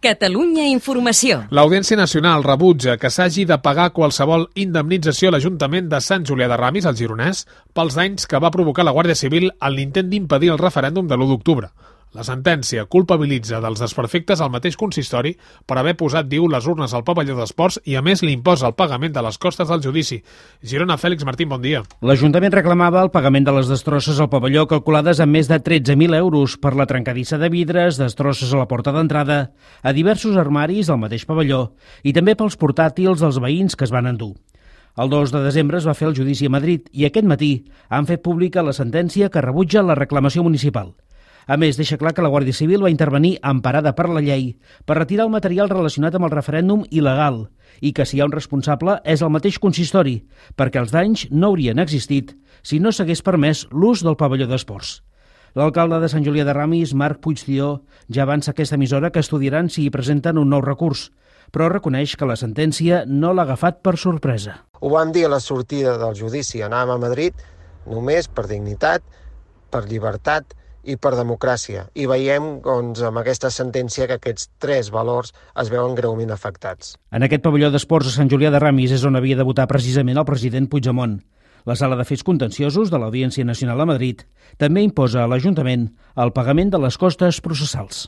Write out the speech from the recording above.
Catalunya Informació. L'Audiència Nacional rebutja que s'hagi de pagar qualsevol indemnització a l'Ajuntament de Sant Julià de Ramis, al Gironès, pels danys que va provocar la Guàrdia Civil en l'intent d'impedir el referèndum de l'1 d'octubre. La sentència culpabilitza dels desperfectes al mateix consistori per haver posat, diu, les urnes al pavelló d'esports i, a més, li imposa el pagament de les costes del judici. Girona, Fèlix Martín, bon dia. L'Ajuntament reclamava el pagament de les destrosses al pavelló calculades en més de 13.000 euros per la trencadissa de vidres, destrosses a la porta d'entrada, a diversos armaris al mateix pavelló i també pels portàtils dels veïns que es van endur. El 2 de desembre es va fer el judici a Madrid i aquest matí han fet pública la sentència que rebutja la reclamació municipal. A més, deixa clar que la Guàrdia Civil va intervenir emparada per la llei per retirar el material relacionat amb el referèndum il·legal i que si hi ha un responsable és el mateix consistori, perquè els danys no haurien existit si no s'hagués permès l'ús del pavelló d'esports. L'alcalde de Sant Julià de Ramis, Marc Puigdió, ja avança a aquesta emissora que estudiaran si hi presenten un nou recurs, però reconeix que la sentència no l'ha agafat per sorpresa. Ho vam dir a la sortida del judici, anàvem a Madrid només per dignitat, per llibertat i per democràcia. I veiem doncs, amb aquesta sentència que aquests 3 valors es veuen greument afectats. En aquest pavelló d'esports a Sant Julià de Ramis és on havia de votar precisament el president Puigdemont. La Sala de Fets Contenciosos de l'Audiència Nacional a Madrid també imposa a l'Ajuntament el pagament de les costes processals.